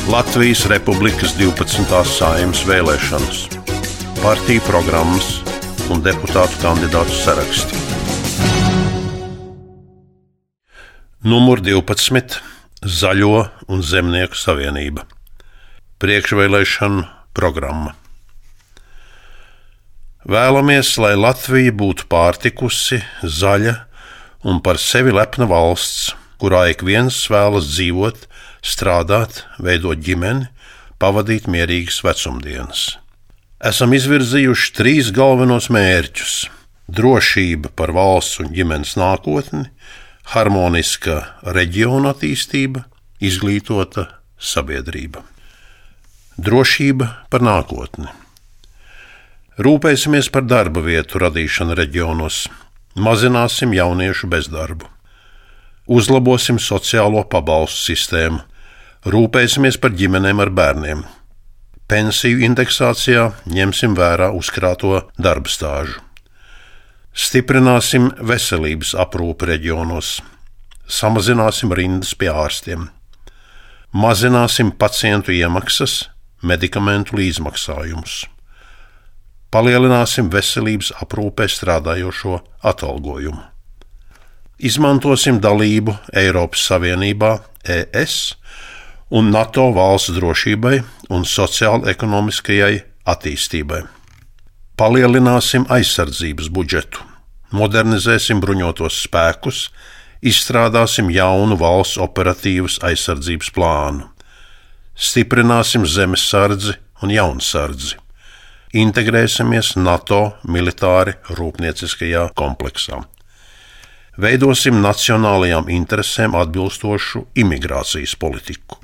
Latvijas Republikas 12. Saeimas vēlēšanas, partiju programmas un deputātu kandidātu saraksti. Numur 12. Zaļo un Zemnieku savienība. Priekšvēlēšanu programma. Vēlamies, lai Latvija būtu pārtikusi, zaļa un par sevi lepna valsts, kurā ik viens vēlas dzīvot, strādāt, veidot ģimeni, pavadīt mierīgas vecumdienas. Esam izvirzījuši 3 galvenos mērķus – drošība par valsts un ģimenes nākotni, harmoniska reģiona attīstība, izglītota sabiedrība. Drošība par nākotni. Rūpēsimies par darba vietu radīšanu reģionos, mazināsim jauniešu bezdarbu. Uzlabosim sociālo pabalstu sistēmu, rūpēsimies par ģimenēm ar bērniem. Pensiju indeksācijā ņemsim vērā uzkrāto darba stāžu. Stiprināsim veselības aprūpi reģionos, samazināsim rindas pie ārstiem. Mazināsim pacientu iemaksas, medikamentu līdzmaksājumus. Palielināsim veselības aprūpē strādājošo atalgojumu. Izmantosim dalību Eiropas Savienībā, ES un NATO valsts drošībai un sociāli-ekonomiskajai attīstībai. Palielināsim aizsardzības budžetu, modernizēsim bruņotos spēkus, izstrādāsim jaunu valsts operatīvas aizsardzības plānu. Stiprināsim zemesardzi un jaunsardzi. Integrēsimies NATO militāri rūpnieciskajā kompleksā. Veidosim nacionālajām interesēm atbilstošu imigrācijas politiku.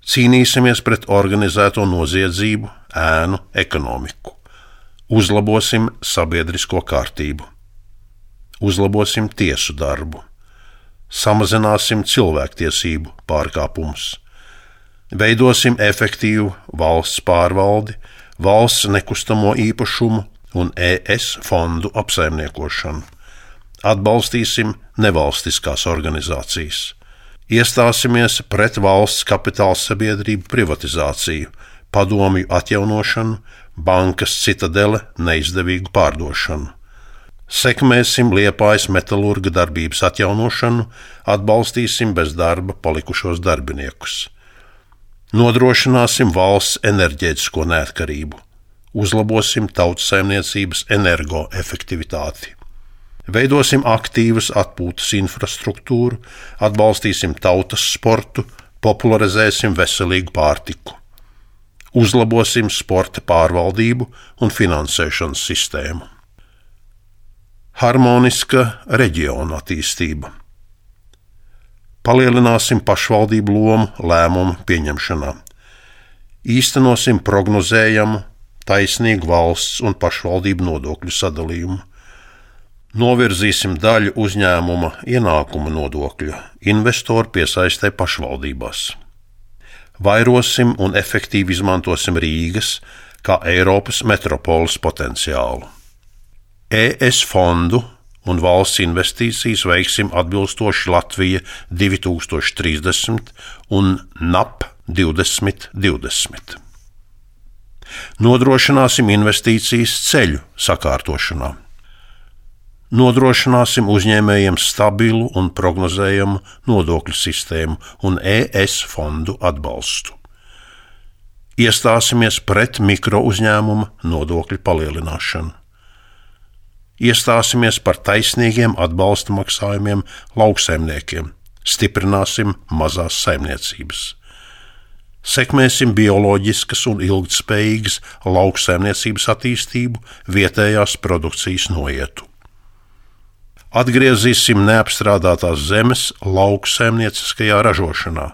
Cīnīsimies pret organizēto noziedzību, ēnu ekonomiku. Uzlabosim sabiedrisko kārtību. Uzlabosim tiesu darbu. Samazināsim cilvēktiesību pārkāpumus. Veidosim efektīvu valsts pārvaldi, valsts nekustamo īpašumu un ES fondu apsaimniekošanu. Atbalstīsim nevalstiskās organizācijas. Iestāsimies pret valsts kapitāla sabiedrību privatizāciju, padomju atjaunošanu, bankas Citadele neizdevīgu pārdošanu. Sekmēsim Liepājas metalurga darbības atjaunošanu, atbalstīsim bez darba palikušos darbiniekus. Nodrošināsim valsts enerģētisko neatkarību. Uzlabosim tautsaimniecības energoefektivitāti. Veidosim aktīvas atpūtas infrastruktūru, atbalstīsim tautas sportu, popularizēsim veselīgu pārtiku. Uzlabosim sporta pārvaldību un finansēšanas sistēmu. Harmoniska reģiona attīstība. Palielināsim pašvaldību lomu lēmumu pieņemšanā. Īstenosim prognozējamu, taisnīgu valsts un pašvaldību nodokļu sadalījumu. Novirzīsim daļu uzņēmuma ienākuma nodokļa investoru piesaistē pašvaldībās. Vairosim un efektīvi izmantosim Rīgas kā Eiropas metropoles potenciālu. ES fondu un valsts investīcijas veiksim atbilstoši Latvija 2030 un NAP 2020. Nodrošināsim investīcijas ceļu sakārtošanā. Nodrošināsim uzņēmējiem stabilu un prognozējamu nodokļu sistēmu un ES fondu atbalstu. Iestāsimies pret mikrouzņēmuma nodokļu palielināšanu. Iestāsimies par taisnīgiem atbalsta maksājumiem lauksaimniekiem, stiprināsim mazās saimniecības. Sekmēsim bioloģiskas un ilgtspējīgas lauksaimniecības attīstību, vietējās produkcijas noietu. Atgriezīsim neapstrādātās zemes lauksaimnieciskajā ražošanā.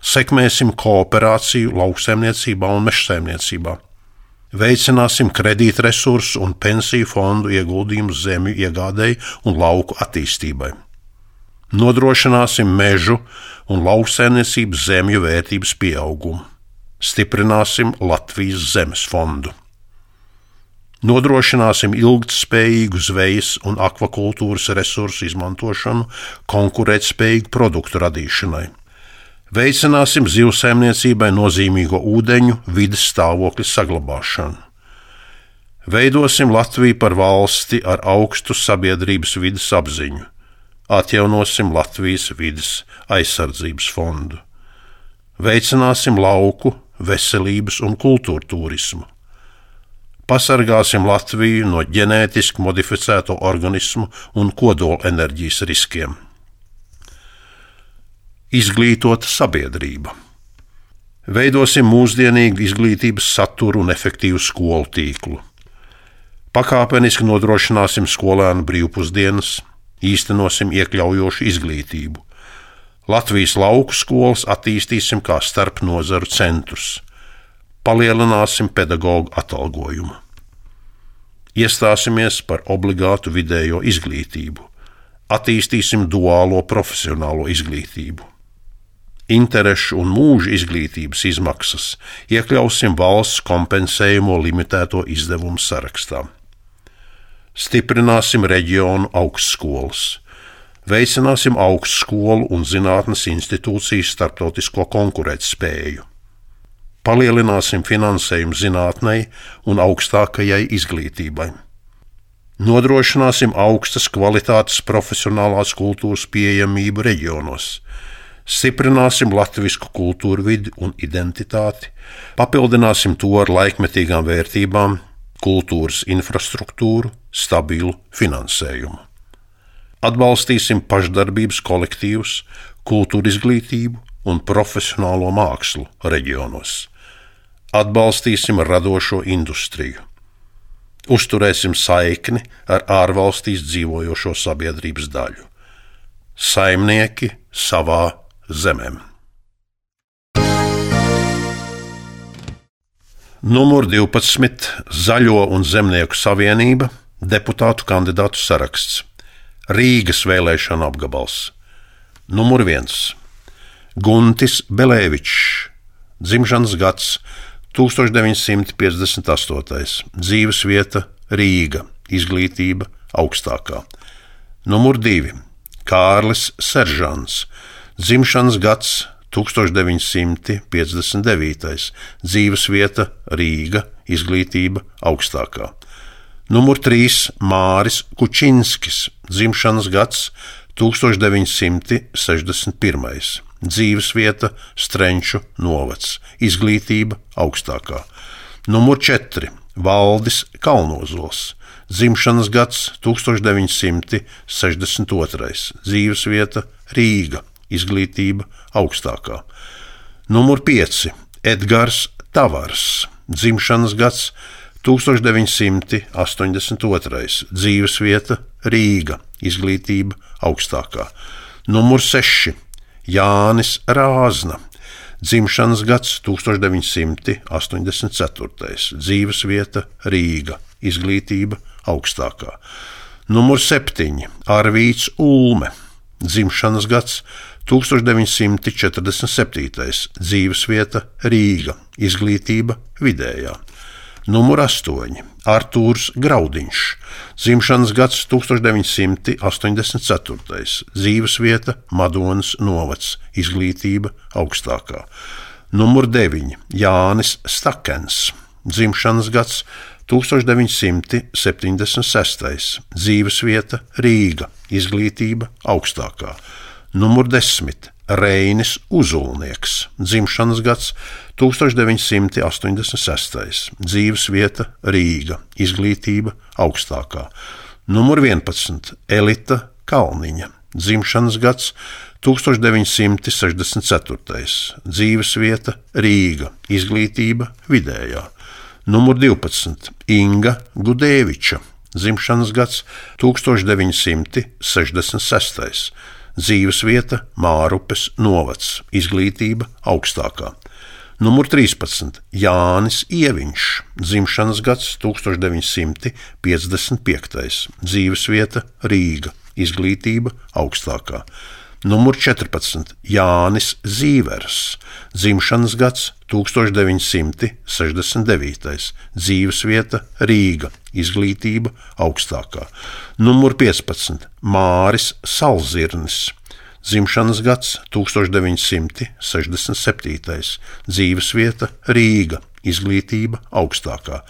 Sekmēsim kooperāciju lauksaimniecībā un mežsaimniecībā. Veicināsim kredītresursu un pensiju fondu ieguldījumus zemju iegādēji un lauku attīstībai. Nodrošināsim mežu un lauksaimniecības zemju vērtības pieaugumu. Stiprināsim Latvijas zemes fondu. Nodrošināsim ilgtspējīgu zvejas un akvakultūras resursu izmantošanu konkurētspējīgu produktu radīšanai. Veicināsim zivsaimniecībai nozīmīgo ūdeņu vides stāvokļa saglabāšanu. Veidosim Latviju par valsti ar augstu sabiedrības vides apziņu. Atjaunosim Latvijas vides aizsardzības fondu. Veicināsim lauku, veselības un kultūra turismu. Pasargāsim Latviju no ģenētiski modificēto organismu un kodola enerģijas riskiem. Izglītota sabiedrība. Veidosim mūsdienīgu izglītības saturu un efektīvu skolu tīklu. Pakāpeniski nodrošināsim skolēnu brīvpusdienas, īstenosim iekļaujošu izglītību. Latvijas lauku skolas attīstīsim kā starpnozaru centrus. Palielināsim pedagoģu atalgojumu. Iestāsimies par obligātu vidējo izglītību. Attīstīsim duālo profesionālo izglītību. Interešu un mūža izglītības izmaksas iekļausim valsts kompensējumo limitēto izdevumu sarakstā. Stiprināsim reģionu augstskolas. Veicināsim augstskolu un zinātnes institūcijas starptautisko konkurētspēju. Palielināsim finansējumu zinātnei un augstākajai izglītībai. Nodrošināsim augstas kvalitātes profesionālās kultūras pieejamību reģionos. Stiprināsim latvisku kultūru vidi un identitāti, papildināsim to ar laikmetīgām vērtībām, kultūras infrastruktūru, stabilu finansējumu. Atbalstīsim pašdarbības kolektīvus, kultūra izglītību un profesionālo mākslu reģionos. Atbalstīsim radošo industriju. Uzturēsim saikni ar ārvalstīs dzīvojošo sabiedrības daļu. Saimnieki savā zemēm. Numur 12. Zaļo un zemnieku savienība, deputātu kandidātu saraksts. Rīgas vēlēšana apgabals. Numur 1. Guntis Belēvičs, dzimšanas gads 1958. Dzīvesvieta Rīga, izglītība augstākā. Numur 2. Kārlis Seržants, dzimšanas gads 1959. Dzīvesvieta Rīga, izglītība augstākā. Numur 3. Māris Kučinskis, dzimšanas gads 1961. Dzīvesvieta Strenču novads, izglītība augstākā. Numur 4. Valdis Kalnozols, dzimšanas gads 1962. Dzīvesvieta Rīga, izglītība augstākā. Numur 5. Edgars Tavars, dzimšanas gads 1982. Dzīvesvieta Rīga, izglītība augstākā. Numur 6. Jānis Rāzna, dzimšanas gads 1984. Dzīvesvieta Rīga, izglītība augstākā. Numur 7. Arvīts Ulme, dzimšanas gads 1947. Dzīvesvieta Rīga, izglītība vidējā. Numur 8. Artūrs Graudiņš, dzimšanas gads 1984. Dzīvesvieta Madonas novads, izglītība augstākā. Numur 9. Jānis Stakens, dzimšanas gads 1976. Dzīvesvieta Rīga, izglītība augstākā. Numur 10. Reinis Uzulnieks, dzimšanas gads 1986. Dzīvesvieta Rīga, izglītība augstākā. Numur 11. Elita Kalniņa, dzimšanas gads 1964. Dzīvesvieta Rīga, izglītība vidējā. Numur 12. Inga Gudēviča, dzimšanas gads 1966. Dzīvesvieta Mārupes novads, izglītība augstākā. Numur 13. Jānis Ieviņš, dzimšanas gads 1955. Dzīvesvieta Rīga, izglītība augstākā. Numur 14. Jānis Zīvers, dzimšanas gads 1969. Dzīvesvieta Rīga, izglītība augstākā. Numur 15. Māris Salzirnis, dzimšanas gads 1967, dzīvesvieta Rīga, izglītība augstākā.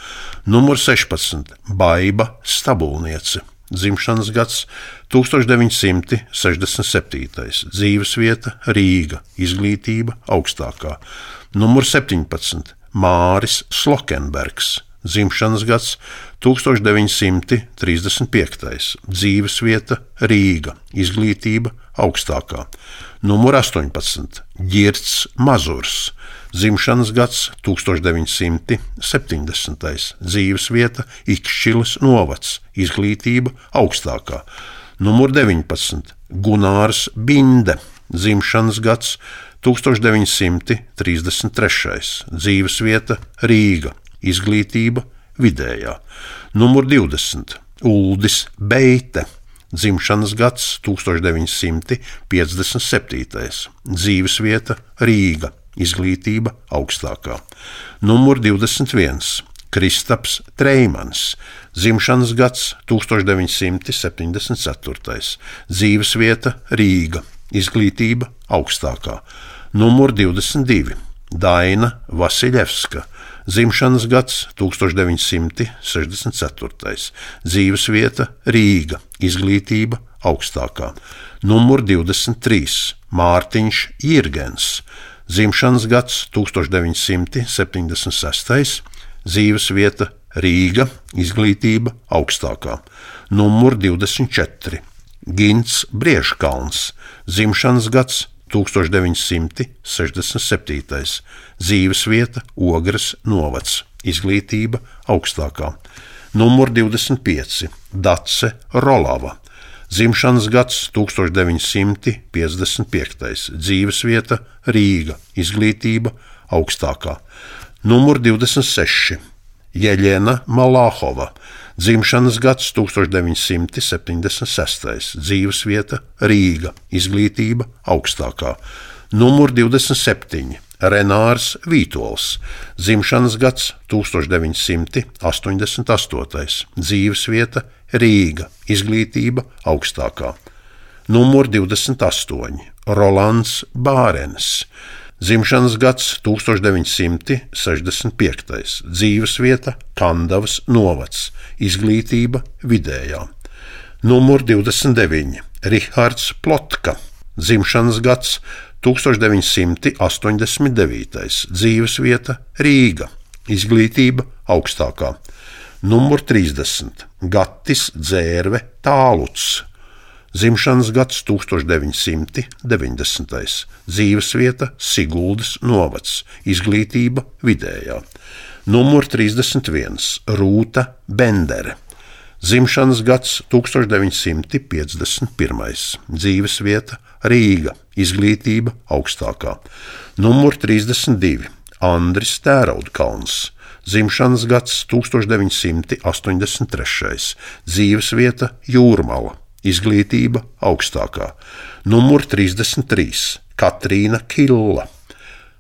Numur 16 - Baiba Stabulniece, dzimšanas gads 1967, dzīvesvieta Rīga, izglītība augstākā. Numur 17 - Māris Slokenbergs, dzimšanas gads 1935, dzīvesvieta Rīga, izglītība augstākā. Numur 18 - Ģirts Mazurs, dzimšanas gads 1970, dzīvesvieta Ikšķiles novads, izglītība augstākā. Numur 19 - Gunārs Binde, dzimšanas gads 1933, dzīvesvieta Rīga, izglītība vidējā. Numur 20 - Uldis Beite, dzimšanas gads 1957, dzīvesvieta Rīga, izglītība augstākā. Numur 21 - Kristaps Treimans, dzimšanas gads 1974, dzīvesvieta Rīga, izglītība augstākā. Numur 22 - Daina Vasiļevska, dzimšanas gads 1964, dzīvesvieta Rīga, izglītība augstākā. Numur 23 - Mārtiņš Jirgens, dzimšanas gads 1976, dzīvesvieta Rīga, izglītība augstākā. Numur 24 - Gints Briežkalns, dzimšanas gads 1967, dzīvesvieta Ogres novads, izglītība augstākā. Numur 25 - Dace Rolava, dzimšanas gads 1955, dzīvesvieta Rīga, izglītība augstākā. Numur 26 - Jeļena Malāhova, dzimšanas gads 1976, dzīvesvieta Rīga, izglītība augstākā. Numur 27 - Renārs Vītols, dzimšanas gads 1988, dzīvesvieta Rīga, izglītība augstākā. Numur 28 - Rolands Bārens, dzimšanas gads 1965, dzīvesvieta Kandavas novads, izglītība vidējā. Numur 29 - Rihards Plotka, dzimšanas gads 1989, dzīvesvieta Rīga, izglītība augstākā. Numur 30 - Gatis Dzērve Tāluts, dzimšanas gads 1990, dzīvesvieta Siguldas novads, izglītība vidējā. Numur 31 - Rūta Bendere, dzimšanas gads 1951, dzīvesvieta Rīga, izglītība augstākā. Numur 32 - Andris Tēraudkalns, dzimšanas gads 1983, dzīvesvieta Jūrmala, izglītība augstākā. Numur 33 - Katrīna Killa,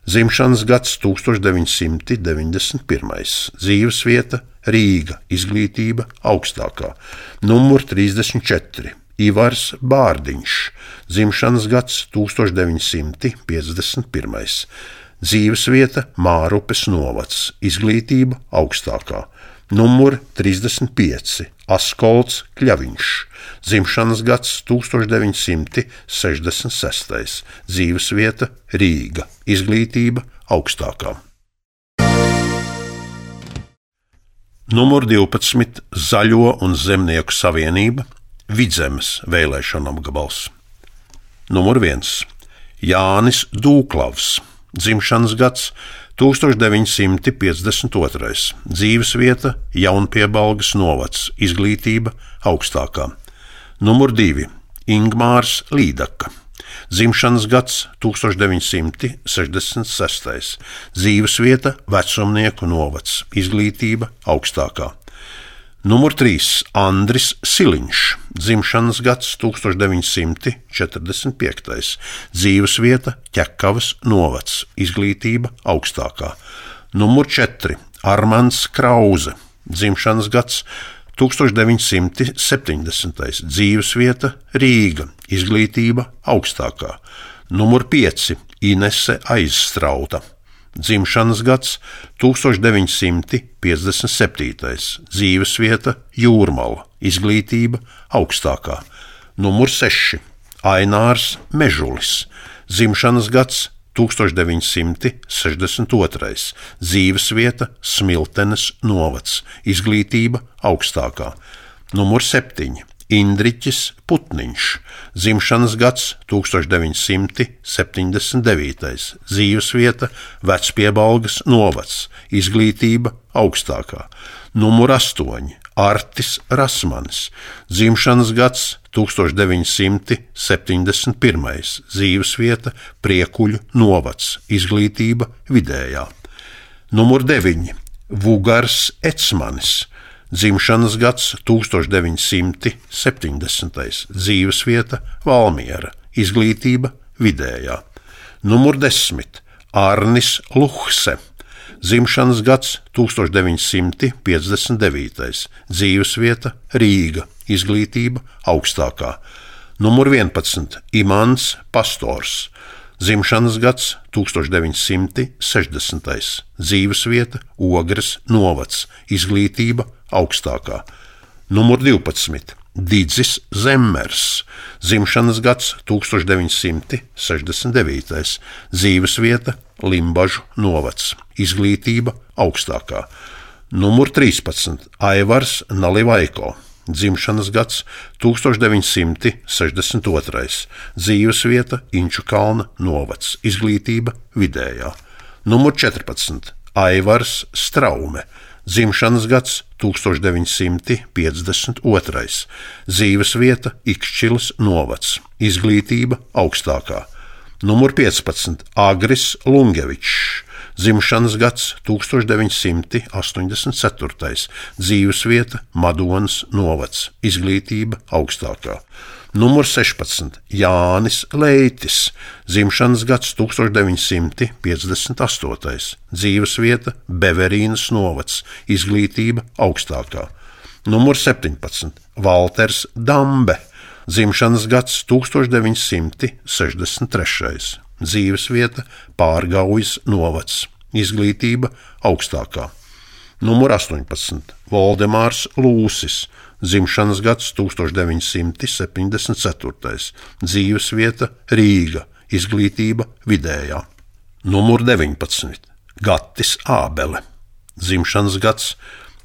dzimšanas gads 1991, dzīvesvieta Rīga, izglītība augstākā. Numur 34 - Ivars Bārdiņš, dzimšanas gads 1951, dzīvesvieta Mārupes novads, izglītība augstākā. Numur 35 - Askolds Kļaviņš, dzimšanas gads 1966, dzīvesvieta Rīga, izglītība augstākā. Numur 12 - Zaļo un Zemnieku savienība, Vidzemes vēlēšana apgabals. Numur 1 - Jānis Dūklavs, dzimšanas gads 1952, dzīvesvieta Jaunpiebalgas novads, izglītība augstākā. Numur 2 - Ingmārs Līdaka, dzimšanas gads 1966, dzīvesvieta Vecumnieku novads, izglītība augstākā. Numur 3 - Andris Siliņš, dzimšanas gads 1945, dzīvesvieta Ķekavas novads, izglītība augstākā. Numur 4 - Armands Krauze, dzimšanas gads 1970. Dzīvesvieta Rīga, izglītība augstākā. Numur 5. Inese Aizstrauta. Dzimšanas gads 1957. Dzīvesvieta Jūrmala, izglītība augstākā. Numur 6. Ainārs Mežulis. Dzimšanas gads 1962. Dzīvesvieta Smiltenes novads, izglītība augstākā. Numur 7. Indriķis Putniņš. Dzimšanas gads 1979. Dzīvesvieta Vecpiebalgas novads, izglītība augstākā. Numur 8. Artis Rasmanis. Dzimšanas gads 1971. Dzīvesvieta Priekuļu novads, izglītība vidējā. Numur 9. Vugars Ecmanis. Dzimšanas gads 1970. Dzīvesvieta Valmiera, izglītība vidējā. Numur 10. Arnis Luhse. Dzimšanas gads 1959. Dzīvesvieta Rīga, izglītība augstākā. Numur 11. Imants Pastors. Dzimšanas gads 1960. Dzīvesvieta Ogres novads, izglītība augstākā. Numur 12. Didzis Zemmers. Dzimšanas gads 1969. Dzīvesvieta Limbažu novads, izglītība augstākā. Numur 13. Aivars Nalivaiko. Dzimšanas gads 1962. Dzīvesvieta Inčukalna novads, izglītība vidējā. Numur 14. Aivars Straume. Dzimšanas gads 1952. Dzīvesvieta Ikšķilas novads, izglītība augstākā. Numur 15. Agris Lungevičs. Dzimšanas gads 1984. Dzīvesvieta Madonas novads, izglītība augstākā. Numur 16. Jānis Leitis. Dzimšanas gads 1958. Dzīvesvieta Beverīnas novads, izglītība augstākā. Numur 17. Valters Dambe. Dzimšanas gads 1963. Dzīvesvieta Pārgaujas novads, izglītība augstākā. Numur 18. Voldemārs Lūsis. Dzimšanas gads 1974. Dzīvesvieta Rīga, izglītība vidējā. Numur 19. Gatis Ābele. Dzimšanas gads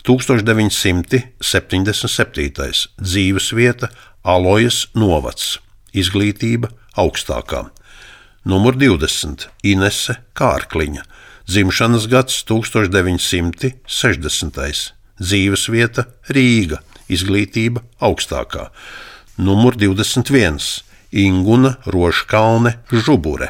1977. Dzīvesvieta Alojas novads, izglītība augstākā. Numur 20. Inese Kārkliņa. Dzimšanas gads 1960. Dzīvesvieta Rīga, izglītība augstākā. Numur 21. Inguna Rožkalne Žubure.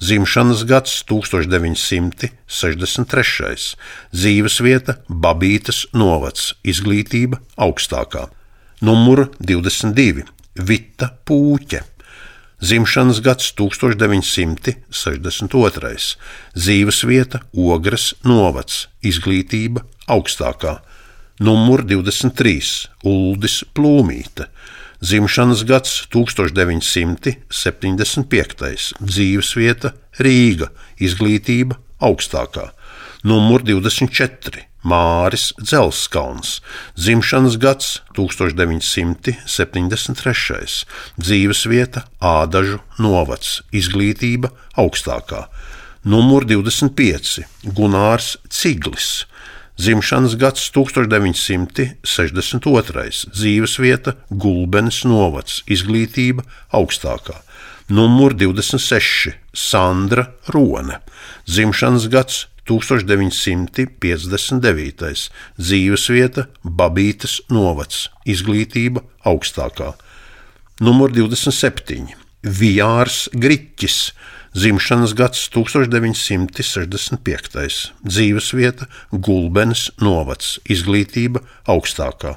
Dzimšanas gads 1963. Dzīvesvieta Babītas novads, izglītība augstākā. Numur 22. Vita Pūķe. Dzimšanas gads 1962. Dzīvesvieta Ogres novads, izglītība augstākā. Numur 23. Uldis Plūmīte. Dzimšanas gads 1975. Dzīvesvieta Rīga, izglītība augstākā. Numur 24. Māris Dzelskalns. Dzimšanas gads 1973. Dzīvesvieta Ādažu novads, izglītība augstākā. Numur 25. Gunārs Ciglis. Dzimšanas gads 1962. Dzīvesvieta Gulbenes novads, izglītība augstākā. Numur 26. Sandra Rone. Dzimšanas gads 1959. Dzīvesvieta Babītas novads, izglītība augstākā. Numur 27. Vijārs Griķis. Dzimšanas gads 1965. Dzīvesvieta Gulbenes novads, izglītība augstākā.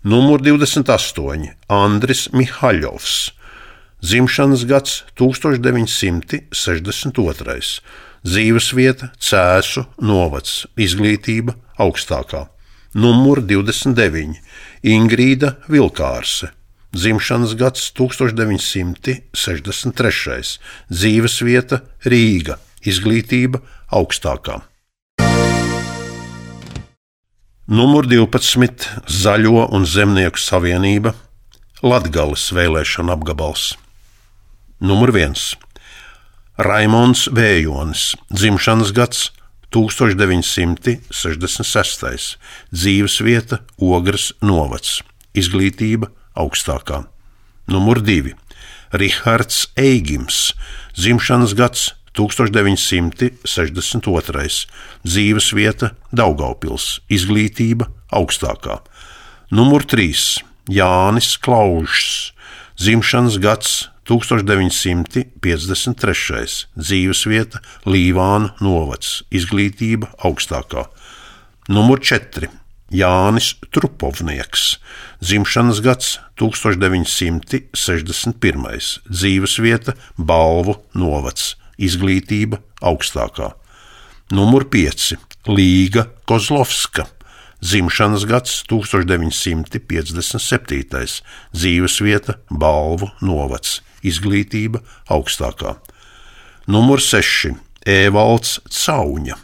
Numur 28. Andris Mihaļovs. Dzimšanas gads 1962. Dzīvesvieta Cēsu novads, izglītība augstākā. Numur 29 Ingrīda Vilkārse, dzimšanas gads 1963, dzīvesvieta Rīga, izglītība augstākā. Numur 12 Zaļo un zemnieku savienība, Latgales vēlēšana apgabals. Numur 1 Raimonds Vējonis, dzimšanas gads 1966, dzīvesvieta Ogres novads, izglītība augstākā. Numur 2 Rihards Eigims, dzimšanas gads 1962, dzīvesvieta Daugavpils, izglītība augstākā. Numur 3 Jānis Klaužs, dzimšanas gads 1953, dzīvesvieta Līvānu novads, izglītība augstākā. Numur 4 Jānis Trupovnieks, dzimšanas gads 1961, dzīvesvieta Balvu novads, izglītība augstākā. Numur 5 Līga Kozlovska, dzimšanas gads 1957, dzīvesvieta Balvu novads, izglītība augstākā. Numur 6 Ēvalds Cauņa,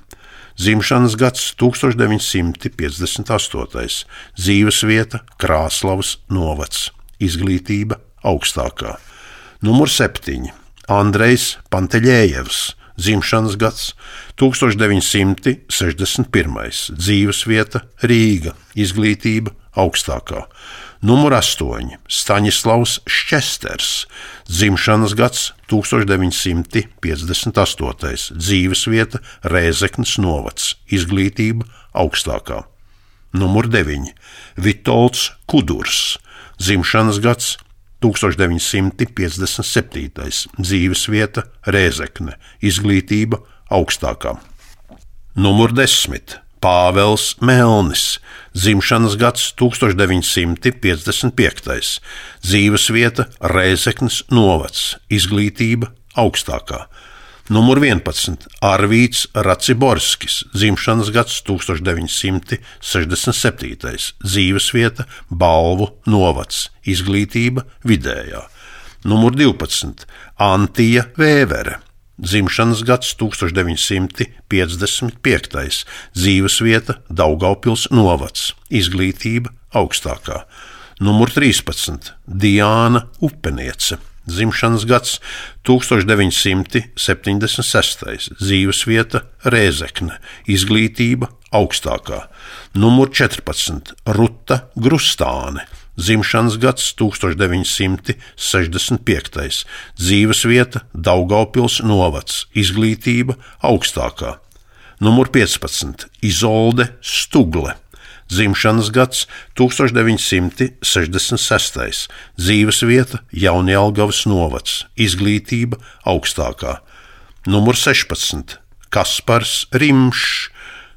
dzimšanas gads 1958, dzīvesvieta Krāslavas novads, izglītība augstākā. Numur 7 Andrejs Panteļējevs, dzimšanas gads 1961, dzīvesvieta Rīga, izglītība augstākā. Numur 8 Staņislavs Šķesters, dzimšanas gads 1958, dzīvesvieta Rēzeknes novads, izglītība augstākā. Numur 9 Vitolds Kudurs, dzimšanas gads 1957, dzīvesvieta Rēzekne, izglītība augstākā. Numur 10 Pāvels Melnis, dzimšanas gads 1955, dzīvesvieta Rēzeknes novads, izglītība augstākā. Numur 11 Arvīds Raciborskis, dzimšanas gads 1967, dzīvesvieta Balvu novads, izglītība vidējā. Numur 12 Antija Vēvere, dzimšanas gads 1955, dzīvesvieta Daugavpils novads, izglītība augstākā. Numur 13 Diāna Upeniece, dzimšanas gads 1976, dzīvesvieta Rēzekne, izglītība augstākā. Numur 14 Ruta Grustāne, dzimšanas gads 1965, dzīvesvieta Daugavpils novads, izglītība augstākā. Numur 15 Izolde Stugle, dzimšanas gads 1966, dzīvesvieta Jaunjelgavas novads, izglītība augstākā. Numur 16 Kaspars Rimšs,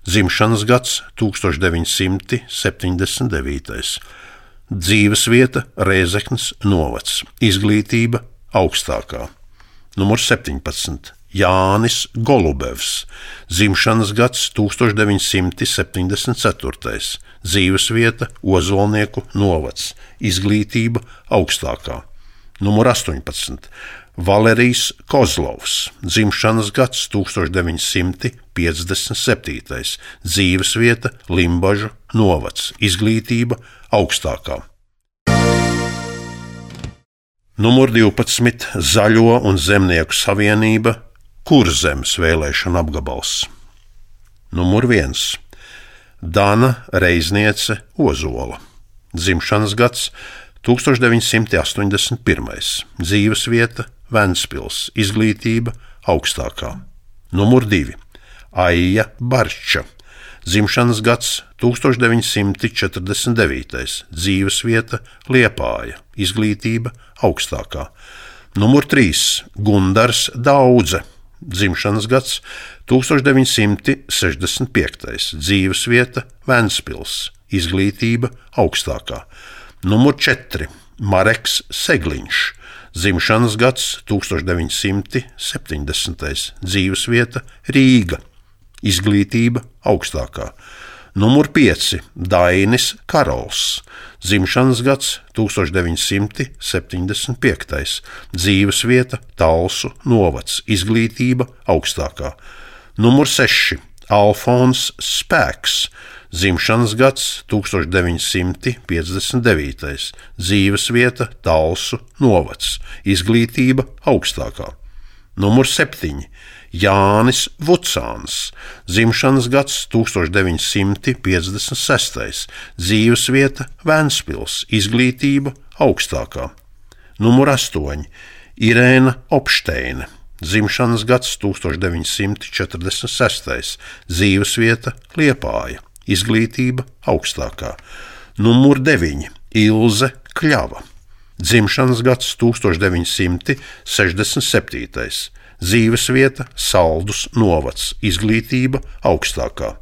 dzimšanas gads 1979, dzīvesvieta Rēzeknes novads, izglītība augstākā. Numur 17 Jānis Golubevs, dzimšanas gads 1974, dzīvesvieta Ozolnieku novads, izglītība augstākā. Numur 18 Valerijs Kozlovs, dzimšanas gads 1957, dzīvesvieta Limbažu novads, izglītība augstākā. Numur 12 Zaļo un zemnieku savienība, Kurzemes vēlēšana apgabals. Numur 1 Dana Reizniece Ozola, dzimšanas gads 1981, dzīvesvieta Ventspils, izglītība augstākā. Numur 2 Aija Barča, dzimšanas gads 1949, dzīvesvieta Liepāja, izglītība augstākā. Numur 3 Gundars Daudze, dzimšanas gads 1965, dzīvesvieta Ventspils, izglītība augstākā. Numur 4 Mareks Segliņš, dzimšanas gads 1970, dzīvesvieta Rīga, izglītība augstākā. Numur 5 - Dainis Karols, dzimšanas gads 1975, dzīvesvieta Talsu novads, izglītība augstākā. Numur 6 - Alfons Spēks, dzimšanas gads 1959, dzīvesvieta Talsu novads, izglītība augstākā. Numur 7 - Jānis Vucāns, dzimšanas gads 1956, dzīvesvieta Ventspils, izglītība augstākā. Numur 8 - Irēna Opšteine, dzimšanas gads 1946, dzīvesvieta Liepāja, izglītība augstākā. Numur 9 - Ilze Kļava, dzimšanas gads 1967, dzīvesvieta Saldus novads, izglītība augstākā.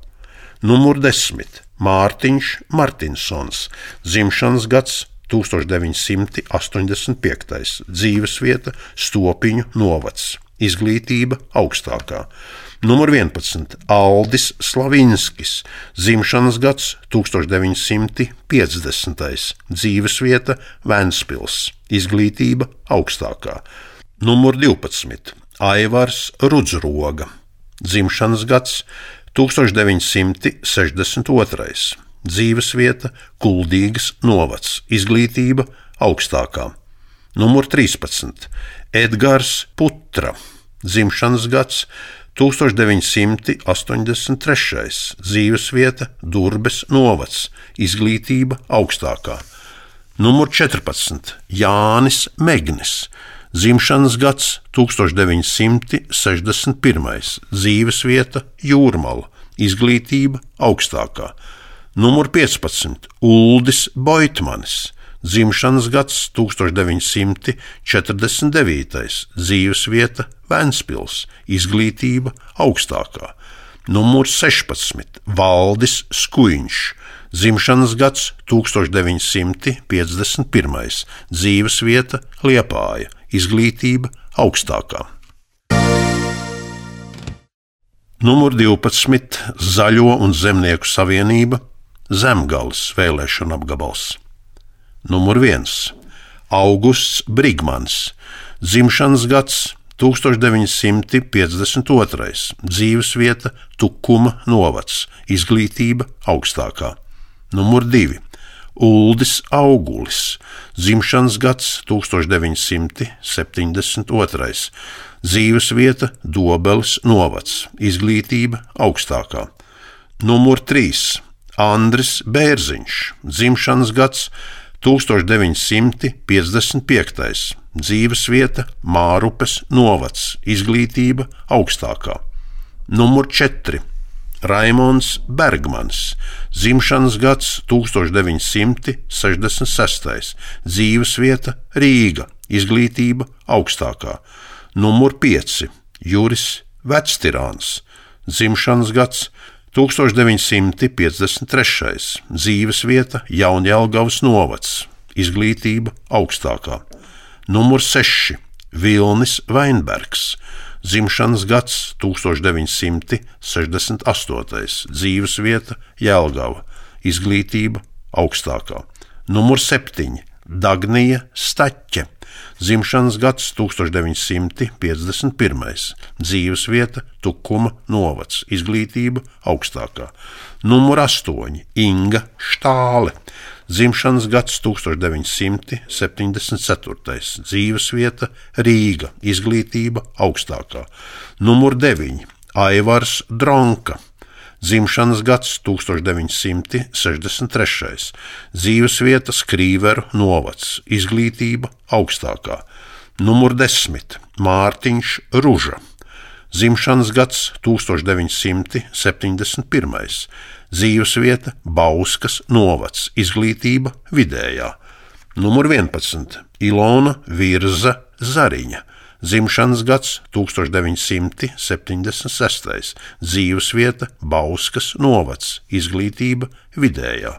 Numur 10 - Mārtiņš Martinsons, dzimšanas gads 1985, dzīvesvieta Stopiņu novads, izglītība augstākā. Numur 11 - Aldis Slavinskis, dzimšanas gads 1950, dzīvesvieta Ventspils, izglītība augstākā. Numur 12 - Aivars Rudzroga, dzimšanas gads 1962, dzīvesvieta Kuldīgas novads, izglītība augstākā. Numur 13 - Edgars Putra, dzimšanas gads 1983, dzīvesvieta Durbes novads, izglītība augstākā. Numur 14 - Jānis Megnis, dzimšanas gads 1961, dzīvesvieta Jūrmala, izglītība augstākā. Numur 15 - Uldis Boitmanis, dzimšanas gads 1949, dzīvesvieta Ventspils, izglītība augstākā. Numur 16 - Valdis Skuiņš, dzimšanas gads 1951, dzīvesvieta Liepāja, izglītība augstākā. Numur 12 - Zaļo un zemnieku savienība, Zemgales vēlēšana apgabals. Numur 1 - Augusts Brigmans, dzimšanas gads 1952, dzīvesvieta Tukuma novads, izglītība augstākā. Numur 2 - Uldis Augulis, dzimšanas gads 1972, dzīvesvieta Dobeles novads, izglītība augstākā. Numur 3 - Andris Bērziņš, dzimšanas gads 1955, dzīvesvieta Mārupes novads, izglītība augstākā. Numur 4 - Raimonds Bergmans, dzimšanas gads 1966, dzīvesvieta Rīga, izglītība augstākā. Numur 5 - Juris Vectirāns, dzimšanas gads 1953, dzīvesvieta Jaunjelgavas novads, izglītība augstākā. Numur 6 - Vilnis Vainbergs, dzimšanas gads 1968, dzīvesvieta Jelgava, izglītība augstākā. Numur 7 - Dagnija Staķe, dzimšanas gads 1951, dzīvesvieta Tukuma novads, izglītība augstākā. Numur 8 - Inga Štāle, dzimšanas gads 1974, dzīvesvieta Rīga, izglītība augstākā. Numur 9 - Aivars Dronka, dzimšanas gads 1963, dzīvesvieta Skrīveru novads, izglītība augstākā. Numur 10 - Mārtiņš Ruža, dzimšanas gads 1971, dzīvesvieta Bauskas novads, izglītība vidējā. Numur 11 - Ilona Virza Zariņa, dzimšanas gads 1976, dzīvesvieta Bauskas novads, izglītība vidējā.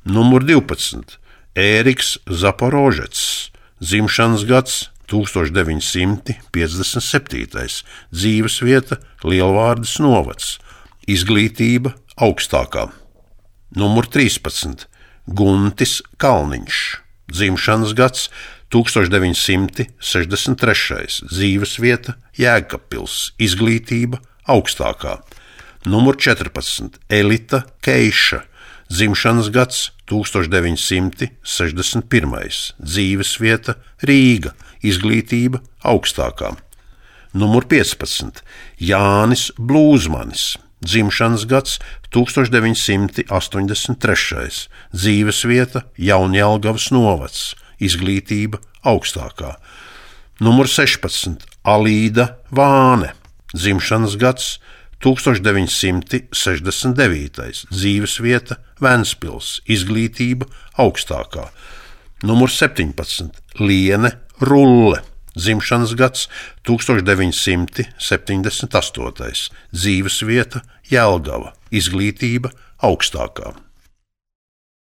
Numur 12 - Ēriks Zaporožets, dzimšanas gads 1957, dzīvesvieta Lielvārdes novads, izglītība augstākā. Numur 13. Guntis Kalniņš, dzimšanas gads 1963, dzīvesvieta Jēkabpils, izglītība augstākā. Numur 14. Elita Keiša, dzimšanas gads 1961, dzīvesvieta Rīga, izglītība augstākā. Numur 15. Jānis Blūzmanis, dzimšanas gads 1983, dzīvesvieta Jaunjelgavas novads, izglītība augstākā. Numur 16. Alīda Vāne, dzimšanas gads 1969, dzīvesvieta Ventspils, izglītība augstākā. Numur 17. Liene Rulle, dzimšanas gads 1978, dzīvesvieta Jelgava, izglītība augstākā.